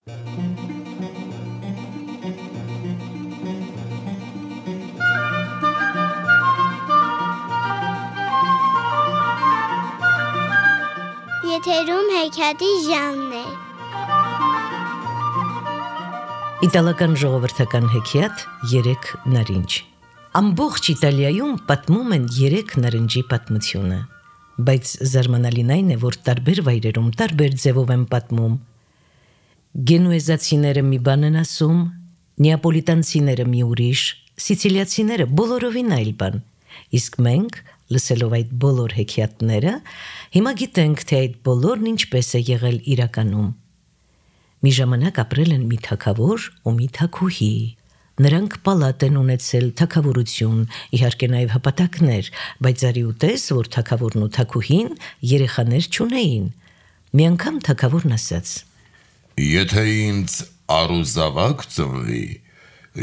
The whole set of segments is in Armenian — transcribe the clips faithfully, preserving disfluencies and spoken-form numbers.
Եթերում հեքիաթի ժանրն է։ Իտալական ժողովրդական հեքիաթ «Երեք նարինջ»։ Ամբողջ Իտալիայում պատմում են երեք նարնջի պատմությունը, բայց զարմանալին այն է, որ տարբեր վայրերում տարբեր ձևով են պատմում։ Գենուեզացիները մի բան են ասում, նեապոլիտանցիները մի ուրիշ, սիցիլիացիները բոլորովին այլ բան, իսկ մենք, լսելով այդ բոլոր հեքիաթները, հիմա գիտենք, թե այդ բոլորն ինչպես է եղել իրականում։ Մի ժամանակ ապրել են մի թագավոր ու մի թագուհի։ Նրանք պալատ են ունեցել, թագավորություն, իհարկե նաև հպատակներ, բայց արի ու տես, որ թագավորն ու թագուհին երեխաներ չունեին։ Մի անգամ թագավորն ասաց. Եթե ինձ առուզավակ ծնվի,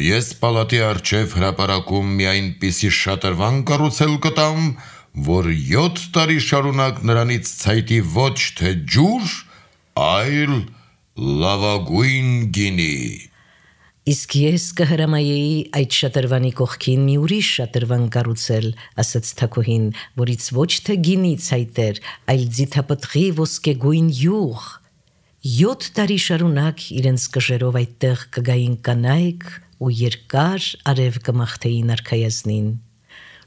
ես պալատի առջև հրապարակում մի այնպիսի շատրվան կառուցել կտամ, որ յոթ տարի շարունակ նրանից ցայտի ոչ թե ջուր, այլ լավագույն գինի։ Իսկ ես կհրամայեի այդ շատրվանի կողքին մի ուրիշ շատրվան կառուցել, ասաց թագուհին, որից ոչ թե գինի ցայտեր, այլ ձիթապտղի ոսկեգույն յուղ։ Յոթ տարի շարունակ իրենց կժերով այդտեղ կգային կանայք ու երկար արև կմաղթեին արքայազնին։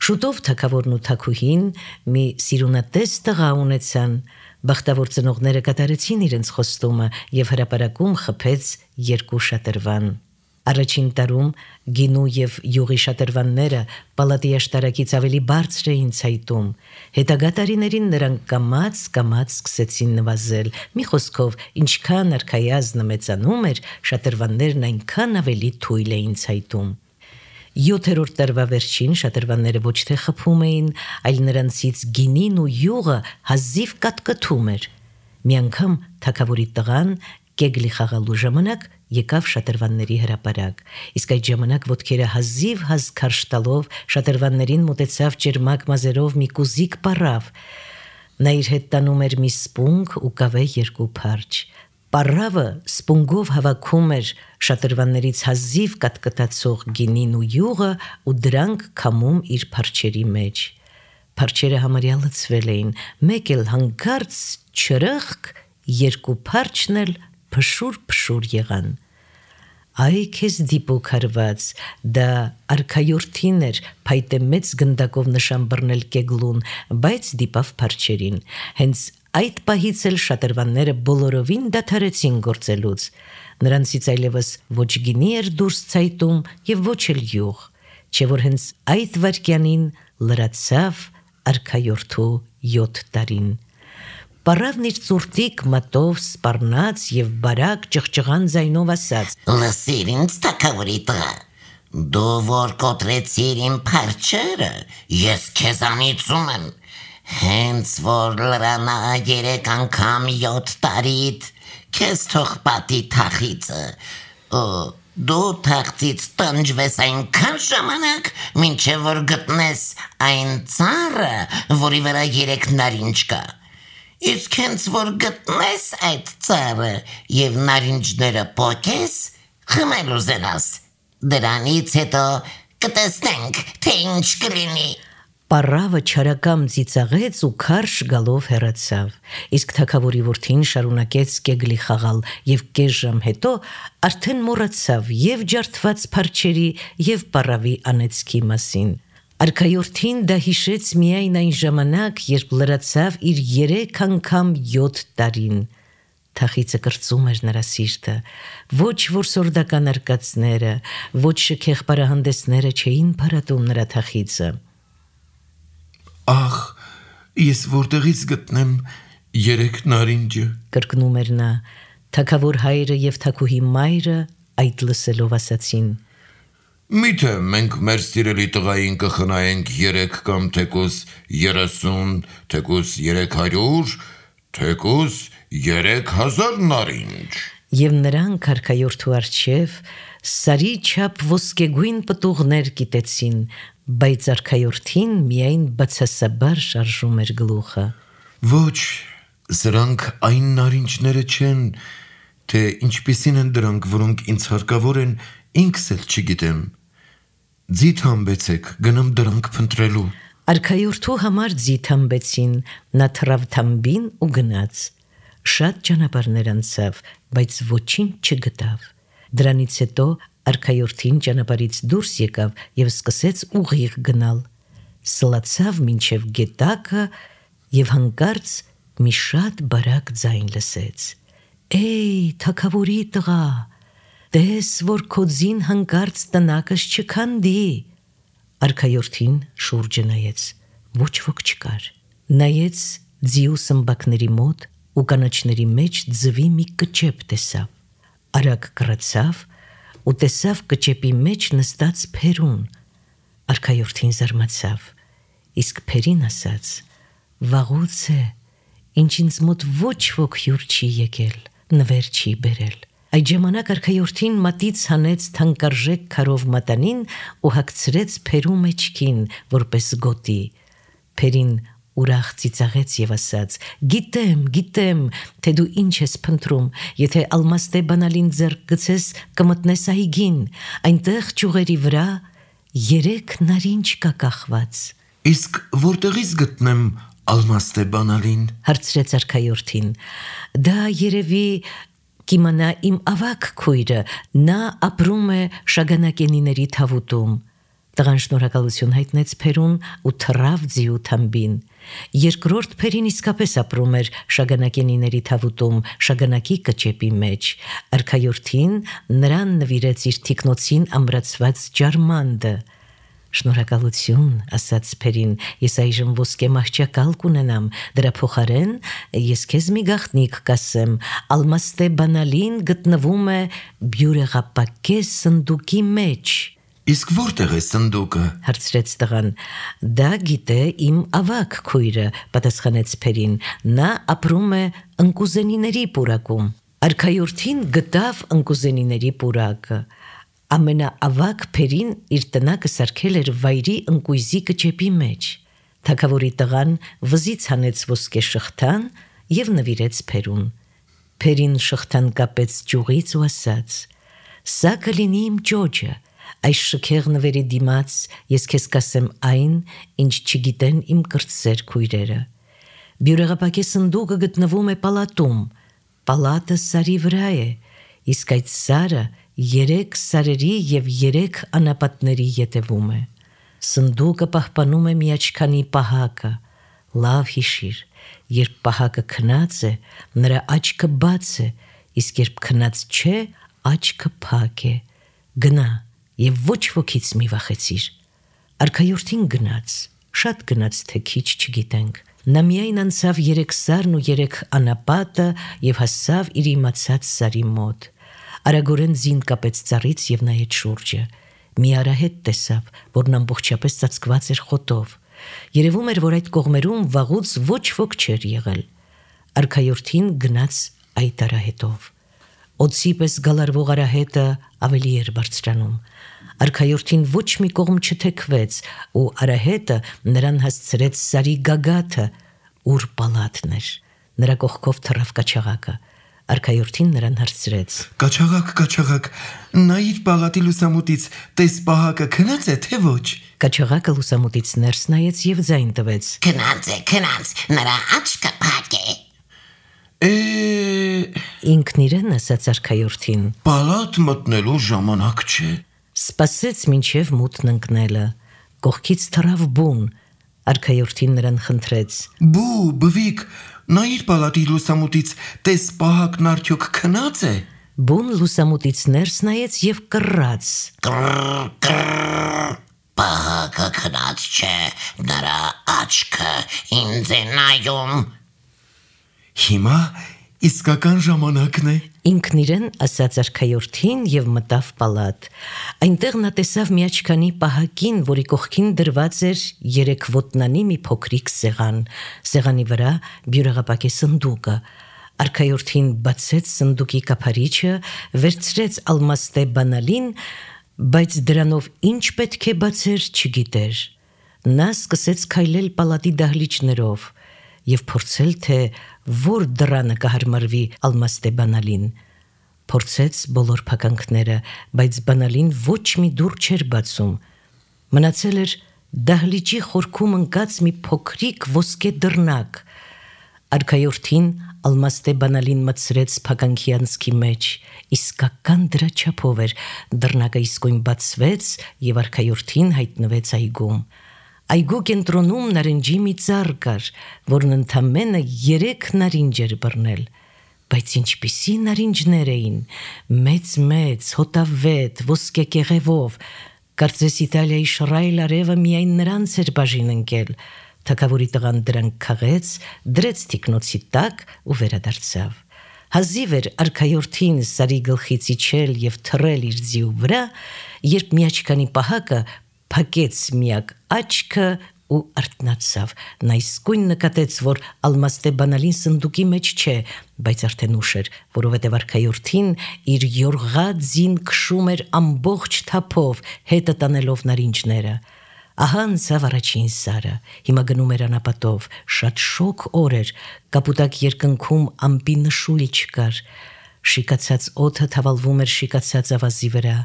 Շուտով թագավորն ու թագուհին մի սիրունատես տղա ունեցան, բախտավոր ծնողները կատարեցին իրենց խոստումը և հրապարակում խփեց երկու շատրվան։ Առաջին տարում գինու և յուղի շատրվանները պալատի աշտարակից ավելի բարձր էին ցայտում, հետագա տարիներին նրանք կամաց-կամաց սկսեցին նվազել, մի խոսքով, ինչքան արքայազնը մեծանում էր, շատրվաններն այնքան ավելի թույլ էին ցայտում։ Յոթերորդ տարվա վերջին շատրվանները ոչ թե խփում էին, այլ նրանցից գինին ու յուղը հազիվ կատկտում էր։ Մի անգամ թագավորի տղան կեգլի խաղալու ժամանակ եկավ շատրվանների հրապարակ, իսկ այդ ժամանակ ոտքերը հազիվ-հազ քարշ տալով շատրվաններին մոտեցավ ճերմակ մազերով մի կուզիկ պառավ։ Նա իր հետ տանում էր մի սպունգ ու կավե երկու փարչ։ Պառավը սպունգով հավաքում էր շատրվաններից հազիվ կատկտացող գինին ու յուղը ու դրանք քամում իր փարչերի մեջ։ Փարչերը համարյա լցվել էին, մեկ էլ հանկարծ չրըխկ, երկու փարչն էլ փշուր-փշուր եղան։ Այ քեզ դիպուկ հարված, դա արքայորդին էր փայտե մեծ գնդակով նշան բռնել կեգլուն, բայց դիպավ փարչերին։ Հենց այդ պահից էլ շատրվանները բոլորովին դադարեցին գործելուց։ Նրանցից այլևս ոչ գինի էր դուրս ցայտում և ոչ էլ յուղ, չէ որ հենց այդ վայրկյանին լրացավ արքայորդու յոթ տարին։ Պառավն իր ծուրտիկ մատով սպառնաց և բարակ ճղճղան ձայնով ասաց. Լսիր ինձ թագավորի տղա, դու որ կոտրեցիր իմ փարչերը, ես քեզանից ունեմ, հենց որ լրանա երեք անգամ յոթ տարիդ, քեզ թող պատի թախիծը, դու թախծից տնջվես այնքան ժամանակ, մինչև որ գտնես այն ծառը, որի վրա երեք նարինջ կա։ Իսկ հենց որ գտնես այդ ծառը և նարինջները պոկես, խմել ուզենաս, դրանից հետո կտեսնենք, թե ինչ կլինի։ Պառավը չարակամ ծիծաղեց ու քարշ գալով հեռացավ, իսկ թագավորի որդին շարունակեց կեգլի խաղալ և կես ժամ հետո արդեն մոռացավ և ջարդված փարչերի և պառավի անեծքի մասին։ Արքայորդին դա հիշեց միայն այն ժամանակ, երբ լրացավ իր երեք անգամ յոթ տարին։ Թախիծը կրծում էր նրա սիրտը, ոչ որսորդական արկածները, ոչ շքեղ պարահանդեսները չէին փարատում նրա թախիծը։ Ախ, ես որտեղից գտնեմ երեք նարինջը, կրկնում էր նա։ Թագավոր հայրը և թագուհի մայրը այդ լսելով ասացին. Միթե մենք մեր սիրելի տղային կխնայենք երեք կամ թեկուզ երեսուն, թեկուզ երեք հարյուր, թեկուզ երեք հազար նարինջ։ Եվ նրանք արքայորդու առջև սարի չափ ոսկեգույն պտուղներ կիտեցին, բայց արքայորդին միայն բացասաբար շարժում էր գլուխը։ Ոչ, սրանք այն նարինջները չեն, թե ինչպիսին են դրանք, որոնք ինձ հարկավոր են, ինքս էլ չգիտեմ։ Ձիթ համբեցեք, գնամ դրանք փնտրելու։ Արքայորդու համար ձիթ համբեցին, նա թռավ թամբին ու գնաց։ Շատ ճանապարհներ անցավ, բայց ոչինչ չգտավ։ Դրանից հետո արքայորդին ճանապարհից դուրս եկավ եւ սկսեց ուղիղ գնալ։ Սլացավ մինչև գետակը եւ հանկարծ մի շատ բարակ ձայն լսեց։ Էй, թագավորի տղա, տես որ քո ձին հանկարծ տնակս չքանդի։ Արքայորդին շուրջը նայեց, ոչ ոք չկար։ Նայեց ձիու սմբակների մոտ ու կանաչների մեջ ձվի մի կճեպ տեսավ։ Արագ կռացավ ու տեսավ կճեպի մեջ նստած Փերուն։ Արքայորդին զարմացավ, իսկ Փերին ասաց. «Վաղուց է, ինչ ինձ մոտ ոչ ոք հյուր չի եկել, նվեր չի բերել»։ Այդ ժամանակ արքայորդին մատից հանեց թանկարժեք քարով մատանին ու հագցրեց Փերու մեջքին, որպես գոտի։ Փերին ուրախ ծիծաղեց եւ ասաց. «Գիտեմ, գիտեմ, թե դու ինչ ես փնտրում, եթե ալմաստե բանալին ձեռք գցես, կմտնես այգին, այնտեղ ճյուղերի վրա երեք նարինջ կա կախված»։ Իսկ որտեղից գտնեմ ալմաստե բանալին, հարցրեց արքայորդին։ Դա երևի կիմանա իմ ավակ քույրը, նա ապրում է Շագանակենիների թավուտում։ Տղան շնորհակալություն հայտնեց Փերուն ու թռավ ձիու թամբին։ Երկրորդ Փերին իսկապես ապրում էր Շագանակենիների թավուտում, Շագանակի կճեպի մեջ։ Արքայորդին նրան նվիրեց իր թիկնոցին ամրացված ջարմանդը։ Շնորհակալություն, ասաց Փերին, ես այժմ ոսկե մահճակալ կունենամ, դրա փոխարեն ես քեզ մի գաղտնիք կասեմ, ալմաստե բանալին գտնվում է բյուրեղապակե սնդուկի մեջ։ Իսկ որտեղ է սնդուկը, հարցրեց տղան։ Դա գիտե իմ ավակ քույրը, պատասխանեց Փերին, նա ապրում է ընկուզենիների պուրակում։ Արքայորդին գտավ ընկուզենիների պուրակը։ Ամենաավակ Փերին իր տնակը սարքել էր վայրի ընկույզի կճեպի մեջ։ Թագավորի տղան վզից հանեց ոսկե շղթան եւ նվիրեց Փերուն։ Փերին շղթան կապեց ճյուղից ու ասաց. «Սա կլինի իմ ճոճը, այս շքեղ նվերի դիմաց ես քեզ կասեմ այն, ինչ չգիտեն իմ կրտսեր քույրերը։ Բյուրեղապակե սնդուկը գտնվում է պալատում, պալատը սարի վրա է, իսկ այդ սարը երեք սարերի եւ երեք անապատների ետևում է։ Սնդուկը պահպանում է մի աչքանի պահակը, լավ հիշիր, երբ պահակը քնած է, նրա աչքը բաց է, իսկ երբ քնած չէ, աչքը փակ է։ Գնա եւ ոչ ոքից մի վախեցիր»։ Արքայորդին գնաց, շատ գնաց, թե քիչ չգիտենք։ Նա միայն անցավ երեք սարն ու երեք անապատը եւ հասավ իր իմացած սարի մոտ։ Արագորեն ձին կապեց ծառից եւ նայեց շուրջը։ Մի արահետ տեսավ, որն ամբողջապես ծածկված էր խոտով։ Երևում էր, որ այդ կողմերում վաղուց ոչ ոք չէր եղել։ Արքայորդին գնաց այդ արահետով։ Օձի պես գալարվող արահետը ավելի էր բարձրանում։ Արքայորդին ոչ մի կողմ չթեքվեց ու արահետը նրան հասցրեց սարի գագաթը, ուր պալատն էր։ Նրա կողքով թռավ կաչաղակը։ Արքայորդին նրան հարցրեց. Կաչաղակ, կաչաղակ, նայիր պալատի լուսամուտից, տես պահակը քնած է, թե ոչ։ Կաչաղակը լուսամուտից ներս նայեց եւ ձայն տվեց. Քնած է, քնած, նրա աչքը փակ է։ Է, ինքն իրեն ասաց արքայորդին. պալատ մտնելու ժամանակ չէ։ Սպասեց մինչև մութն ընկնելը։ Կողքից թռավ բուն։ Արքայորդին նրան խնդրեց. Բու, բվիկ, նայիր պալատի լուսամուտից, տես պահակն արդյոք քնած է։ Բուն լուսամուտից ներս նայեց եւ կռաց. Կռ, կռ, պահակը քնած չէ, նրա աչքը ինձ է նայում։ Հիմա իսկական ժամանակն է։ Ինքն իրեն ասաց արքայորդին եւ մտավ պալատ։ Այնտեղ նա տեսավ մի աչքանի պահակին, որի կողքին դրված էր երեք ոտնանի մի փոքրիկ սեղան։ Սեղանի վրա բյուրեղապակե սնդուկը։ Արքայորդին բացեց սնդուկի կափարիչը, վերցրեց ալմաստե բանալին, բայց դրանով ինչ պետք է բացեր չգիտեր։ Նա սկսեց քայլել պալատի դահլիճներով եւ փորձել, թե որ դռանը կհարմարվի ալմաստե բանալին։ Փորձեց բոլոր փականքները, բայց բանալին ոչ մի դուռ չէր բացում։ Մնացել էր դահլիճի խորքում ընկած մի փոքրիկ ոսկե դռնակ։ Արքայորդին ալմաստե բանալին մտցրեց փականքի անցքի մեջ, իսկական դրա չափով էր, դռնակը իսկույն բացվեց և արքայորդին հայտնվեց այգում։ Այգու կենտրոնում նարնջի մի ծառ կար, որն ընդամենը երեք նարինջ էր բռնել, բայց ինչպիսի նարինջներ էին, մեծ-մեծ, հոտավետ, ոսկե կեղևով, կարծես Իտալիայի շռայլ արևը միայն նրանց էր բաժին ընկել։ Թագավորի տղան դրանք քաղեց, դրեց թիկնոցի տակ ու վերադարձավ։ Հազիվ էր արքայորդին Սարի գլխից իջել և թռել իր ձիու վրա, երբ մի աչքանի պահակը փակեց միակ աչքը ու արթնացավ։ Նա իսկույն նկատեց, որ ալմաստե բանալին սնդուկի մեջ չէ, բայց արդեն ուշ էր, որովհետև արքայորդին իր յորղա ձին քշում էր ամբողջ թափով, հետը տանելով նարինջները։ Ահա անցավ առաջին սարը, հիմա գնում էր անապատով, շատ շոգ օր էր, կապուտակ երկնքում ամպի նշույլ չկար, շիկացած օդը թավալվում էր շիկացած ավազի վրա։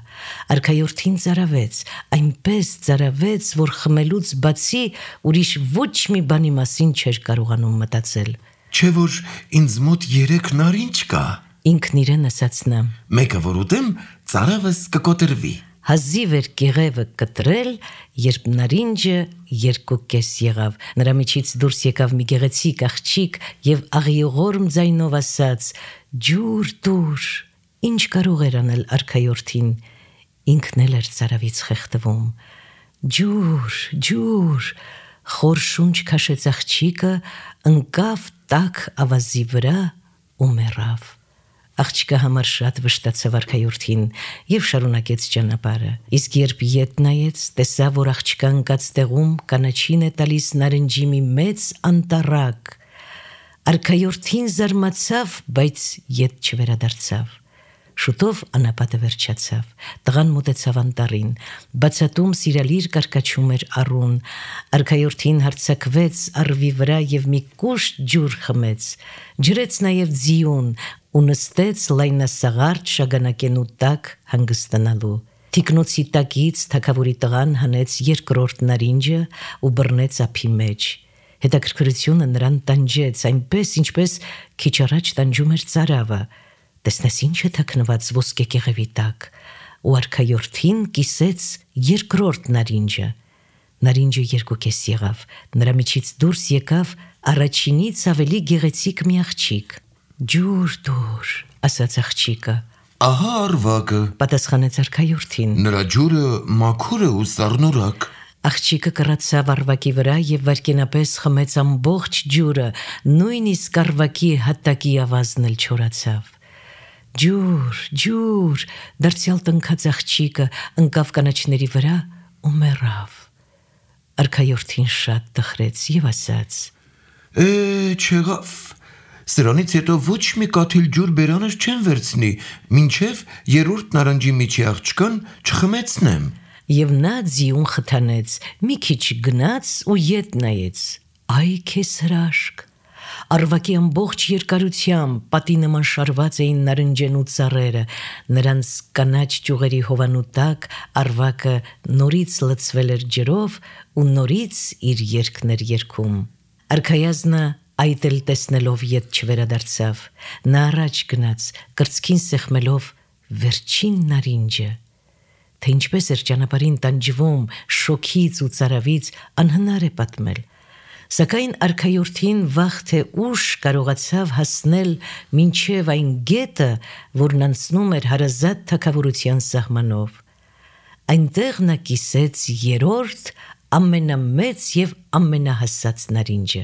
Արքայորդին ծարավեց, այնպես ծարավեց, որ խմելուց բացի ուրիշ ոչ մի բանի մասին չէր կարողանում մտածել։ Չէ որ ինձ մոտ երեք նարինջ կա։ Ինքն իրեն ասաց նա։ Մեկը որ ուտեմ, ծարավս կկոտրվի։ Հազիվ էր կեղևը կտրել, երբ նարինջը երկու կես եղավ։ Նրա միջից դուրս եկավ մի գեղեցիկ աղջիկ և աղիողորմ ձայնով ասաց. «Ջուր դուր»։ Ինչ կարող էր անել արքայորդին, ինքն էլ էր ծարավից խեղդվում։ «Ջուր, ջուր», խոր շունչ քաշեց աղջիկը, ընկավ տաք ավազի վրա ու մեռավ։ Աղջիկը համար շատ վշտացավ արքայորդին և շարունակեց ճանապարհը։ Իսկ երբ ետ նայեց, տեսավ, որ աղջիկը ընկած տեղում կանաչին է տալիս նարնջի մի մեծ անտառակ։ Արքայորդին զարմացավ, բայց ետ չվերադարձավ։ Շուտով անապատը վերջացավ։ Տղան մոտեցավ անտառին։ Բացատում սիրալիր կարկաչում էր առուն։ Արքայորդին հարձակվեց առվի վրա և մի կուշտ ջուր խմեց։ Ջրեց նաև ձիուն ու նստեց լայնասաղարթ շագանակենու տակ հանգստանալու։ Թիկնոցի տակից թագավորի տղան հանեց երկրորդ նարինջը ու բռնեց ափի մեջ։ Հետաքրքրությունը նրան տանջեց, այնպես ինչպես քիչ առաջ տանջում էր ծարավը։ Տեսնես ինչ է թաքնված ոսկե կեղևի տակ, ու արքայորդին կիսեց երկրորդ նարինջը։ Նարինջը երկու կես եղավ, նրա միջից դուրս եկավ առաջինից ավելի գեղեցիկ մի աղջիկ։ «Ջուր դուր», ասաց աղջիկը։ Ահա արվակը, պատասխանեց արքայորդին։ նրա ջուրը մաքուր է ու սառնորակ։ Աղջիկը կռացավ առվակի վրա և վայրկենապես խմեց ամբողջ ջուրը, նույնիսկ առվակի հատակի ավազն էլ չորացավ։ «Ջուր, ջուր», դարձյալ տնքաց աղջիկը ընկավ կանաչների վրա ու մեռավ։ Արքայորդին շատ տխրեց և ասաց. Է, չեղավ։ Սրանից հետո ոչ մի կաթիլ ջուր բերանս չեն վերցնի, մինչև երրորդ նարնջի միջի աղջկան չխմեցնեմ։ Եվ նա ձիուն խթանեց, մի քիչ գնաց ու ետ նայեց։ Այ քեզ հրաշք։ Առվակի ամբողջ երկարությամբ պատի նման շարված էին նարնջենու ծառերը, նրանց կանաչ ճյուղերի հովանու տակ առվակը նորից լցվել էր ջրով ու նորից իր երգն էր երգում։ Արքայազնը այդ էլ տեսնելով ետ չվերադարձավ։ Նա առաջ գնաց, կրծքին սեղմելով վերջին նարինջը։ Թե ինչպես էր ճանապարհին տանջվում շոքից ու ծարավից, անհնար է պատմել։ Սակայն արքայորդին վաղ թե ուշ կարողացավ հասնել մինչև այն գետը, որն անցնում էր հարազատ թագավորության սահմանով։ Այնտեղ նա կիսեց երրորդ ամենամեծ և ամենահասած նարինջը։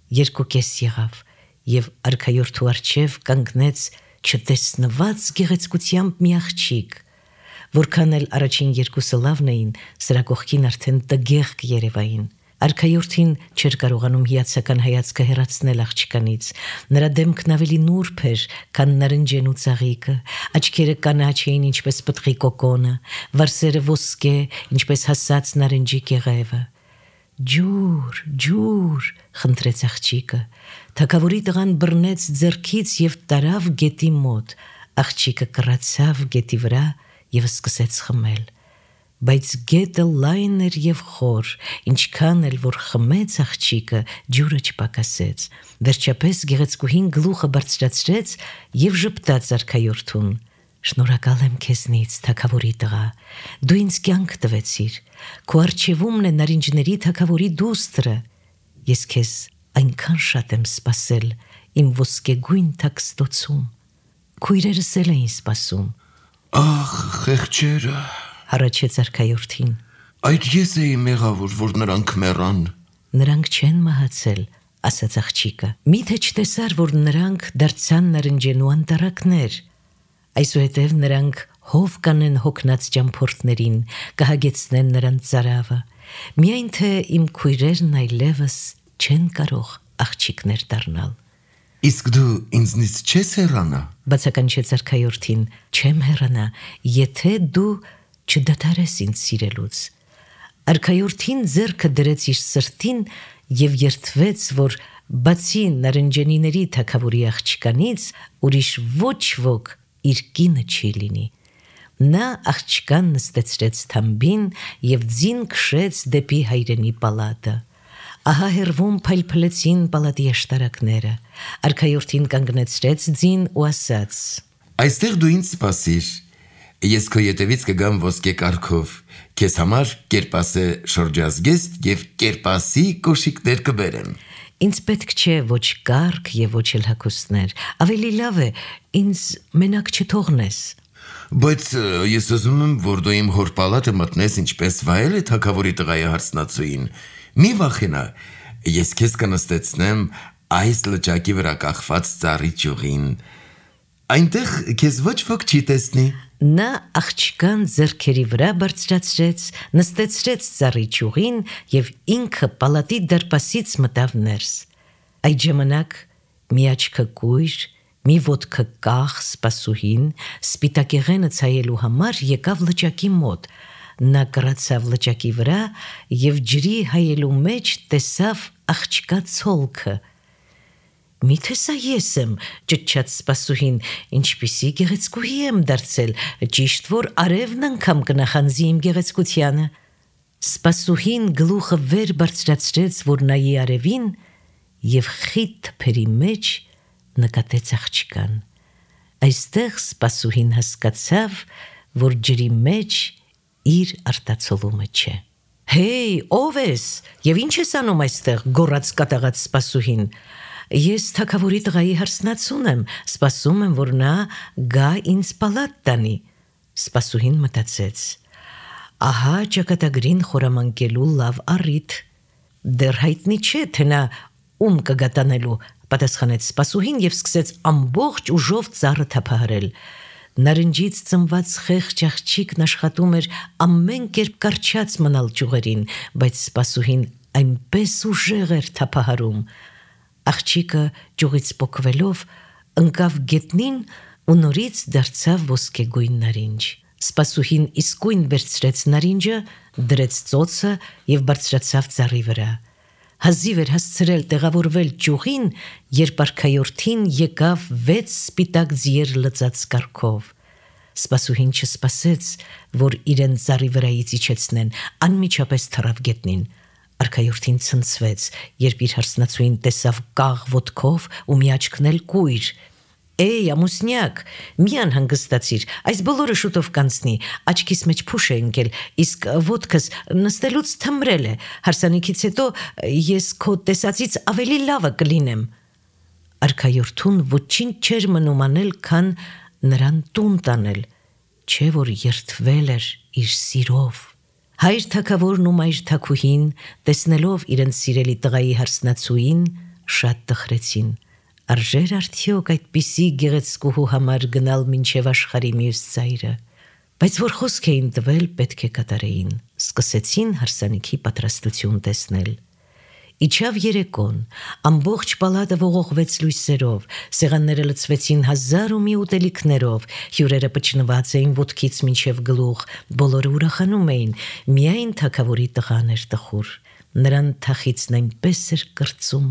Երկու կես եղավ, և արքայորդու առջև կանգնեց չտեսնված գեղեցկությամբ մի աղջիկ։ Որքան էլ առաջին երկուսը լավն էին, սրա կողքին արդեն տգեղ կերևային։ Արքայորդին չէր կարողանում հիացական հայացքը հեռացնել աղջկանից։ Նրա դեմքն ավելի նուրբ էր, քան նարնջենու ծաղիկը, աչքերը կանաչ էին, ինչպես պտղի կոկոնը, վարսերը ոսկե, ինչպես հասած նարնջի կեղևը։ «Ջուր, ջուր», խնդրեց աղջիկը։ Թագավորի տղան բռնեց ձեռքից և տարավ գետի մոտ։ Աղջիկը կռացավ գետի վրա եւ սկսեց խմել, բայց գետը լայն էր եւ խոր, ինչքան էլ որ խմեց աղջիկը, ջուրը չպակասեց։ Վերջապես գեղեցկուհին գլուխը բարձրացրեց եւ ժպտաց արքայորդուն. «Շնորհակալ եմ քեզնից, թագավորի տղա, դու ինձ կյանք տվեցիր, քո առջևումն է նարինջների թագավորի դուստրը, ես քեզ այնքան շատ եմ սպասել իմ ոսկեգույն թաքստոցում, քույրերս էլ էին սպասում»։ Ախ, խեղճերը, Հառաչեց արքայորդին։ այդ ես էի մեղավոր, որ նրանք մեռան։ Նրանք չեն մահացել, ասաց աղջիկը։ Միթե չտեսար, որ նրանք դարձան նարնջենու անտառակներ։ Այսուհետև նրանք հով կանեն հոգնած ճամփորդներին, կհագեցնեն նրանց ծարավը։ Միայն թե իմ քույրերն այլևս չեն կարող աղջիկներ դառնալ։ Իսկ դու ինձնից չես հեռանա։ Բացականչեց արքայորդին, չեմ հեռանա, եթե դու չդադարես ինձ սիրելուց։ Արքայորդին ձեռքը դրեց իր սրտին եւ երդվեց, որ բացի նարնջենիների թագավորի աղջկանից ուրիշ ոչ ոք իր կինը չի լինի։ Նա աղջկան նստեցրեց թամբին եւ ձին քշեց դեպի հայրենի պալատը։ Ահա հեռվում փայլփլեցին պալատի աշտարակները։ Արքայորդին կանգնեցրեց ձին ու ասաց. Այստեղ դու ինձ սպասիր։ Ես քո ետևից կգամ ոսկե կառքով, քեզ համար կերպասե շրջազգեստ եւ կերպասի կոշիկներ կբերեմ։ Ինձ պետք չէ ոչ կառք եւ ոչ էլ հագուստներ, ավելի լավ է ինձ մենակ չթողնես։ Բայց ես ուզում եմ, որ դու իմ հոր պալատը մտնես ինչպես վայել է թագավորի տղայի հարսնացուին։ Մի վախենա, ես քեզ կնստեցնեմ այս լճակի վրա կախված ծառի ճյուղին։ Այնտեղ քեզ ոչ ոք չի տեսնի։ Նա աղջկան ձեռքերի վրա բարձրացրեց, նստեցրեց ծառի ճյուղին եւ ինքը պալատի դարպասից մտավ ներս։ Այդ ժամանակ մի աչքը կույր, մի ոտքը կախ սպասուհին սպիտակեղենը ցայելու համար եկավ լճակի մոտ։ Նա կռացավ լճակի վրա եւ ջրի հայելու մեջ տեսավ աղջկա ցոլքը։ Միթե սա ես եմ, ճչաց սպասուհին, ինչպիսի գեղեցկուհի եմ դարձել, ճիշտ որ արևն անգամ կնախանձի իմ գեղեցկությանը։ Սպասուհին գլուխը վեր բարձրացրեց, որ նայի արևին եւ խիտ թփերի մեջ նկատեց աղջկան։ Այստեղ սպասուհին հասկացավ, որ ջրի մեջ իր արտացոլումը չէ։ Հեյ, ով ես եւ ինչ ես անում այստեղ, գոռաց կատաղած սպասուհին։ Ես թագավորի տղայի հարսնացուն եմ, սպասում եմ, որ նա գա ինձ պալատ տանի։ Սպասուհին մտածեց. ահա ճակատագրին խորամանկելու լավ առիթ։ Դեռ հայտնի չէ, թե նա ում կգա տանելու, պատասխանեց սպասուհին եւ սկսեց ամբողջ ուժով ծառը թափահարել։ Նարնջից ծնված խեղճ աղջիկն աշխատում էր ամեն կերպ կառչած մնալ ճյուղերին, բայց սպասուհին այնպես ուժեղ էր թափահարում։ Աղջիկը ճյուղից պոկվելով ընկավ գետնին ու նորից դարձավ ոսկեգույն նարինջ։ Սպասուհին իսկույն վերցրեց նարինջը, դրեց ծոցը եւ բարձրացավ ծառի վրա։ Հազիվ էր հասցրել տեղավորվել ճյուղին, երբ արքայորդին եկավ վեց սպիտակ ձիեր լծած կառքով։ Սպասուհին չսպասեց, որ իրեն ծառի վրայից իջեցնեն, անմիջապես թռավ գետնին։ Արքայորդին ցնցվեց, երբ իր հարսնացուին տեսավ կաղ ոտքով ու մի աչքն էլ կույր։ Էй, ամուսնյակ, մի անհանգստացիր, այս բոլորը շուտով կանցնի, աչքիս մեջ փուշ է ընկել, իսկ ոտքս նստելուց թմրել է, հարսանիքից հետո ես քո տեսածից ավելի լավը կլինեմ։ Արքայորդուն ոչինչ չէր մնում անել, քան նրան տուն տանել, չէ որ երդվել էր իր սիրով։ Հայր թագավորն ու մայր թագուհին, տեսնելով իրենց սիրելի տղայի հարսնացուին, շատ տխրեցին։ Արժեր արդյոք այդպիսի գեղեցկուհու համար գնալ մինչև աշխարհի մյուս ծայրը, բայց որ խոսք էին տվել, պետք է կատարեին։ Սկսեցին հարսանիքի պատրաստություն տեսնել։ Իջավ երեկոն, ամբողջ պալատը ողողվեց լույսերով, սեղանները լցվեցին հազար ու մի ուտելիքներով, հյուրերը պճնված էին ոտքից մինչև գլուխ, բոլորը ուրախանում էին, միայն թագավորի տղան էր տխուր։ Նրան թախիցն այնպես էր կրծում,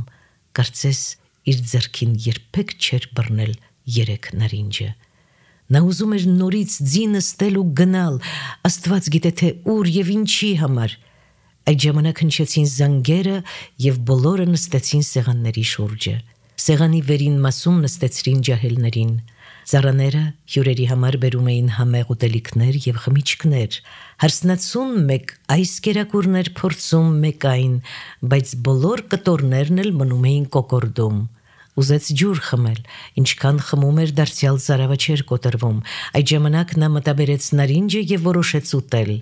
կարծես իր ձեռքին երբեք չէր բռնել երեք նարինջը։ Նա ուզում էր նորից ձին նստել ու գնալ, Աստված գիտե թե ուր եւ ինչի համար։ Այդ ժամանակ հնչեցին զանգերը եւ բոլորը նստեցին սեղանների շուրջը։ Սեղանի վերին մասում նստեցրին ջահելներին։ Ծառաները հյուրերի համար բերում էին համեղ ուտելիքներ եւ խմիչքներ։ Հարսնացուն մեկ այս կերակուրներ փորձում, մեկ այն, բայց բոլոր կտորներն էլ մնում էին կոկորդում։ Ուզեց ջուր խմել, ինչքան խմում էր դարձյալ ծարավը չէր կոտրվում։ Այդ ժամանակ նա մտաբերեց նարինջը եւ որոշեց ուտել։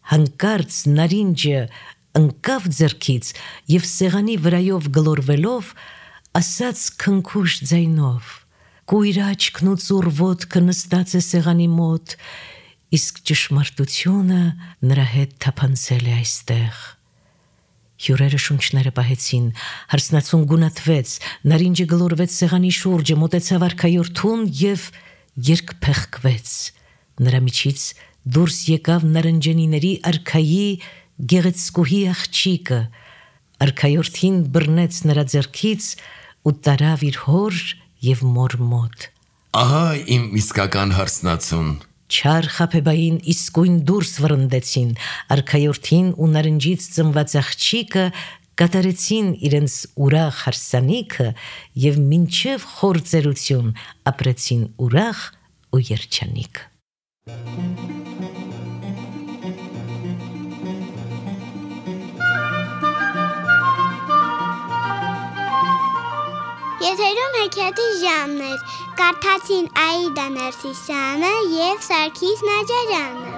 Հանկարծ նարինջը ընկավ ձեռքից եւ սեղանի վրայով գլորվելով ասաց քնքուշ ձայնով. «Կույր աչքն ու ծուռ ոտքը նստած է սեղանի մոտ, իսկ ճշմարտությունը նրա հետ թափանցել է այստեղ»։ Հյուրերը շունչները պահեցին, հարսնացուն գունատվեց, նարինջը գլորվեց սեղանի շուրջը, մոտեցավ արքայորդուն եւ երկփեղկվեց։ Նրա միջից դուրս եկավ նարնջանիների արքայի գեղեցկուհի աղջիկը։ Արքայորդին բռնեց նրա ձեռքից ու տարավ իր հոր եւ մոր մոտ։ Ահա իմ իսկական հարսնացուն։ Չար խաբեբային իսկույն դուրս վռնդեցին, արքայորդին ու նարնջից ծնված աղջիկը կատարեցին իրենց ուրախ հարսանիքը եւ մինչեւ խոր ծերություն ապրեցին ուրախ ու երջանիկ։ Եթերում հեքիաթի ժամն էր, կարդացին Աիդա Ներսիսյանը և Սարգիս Նաջարյանը։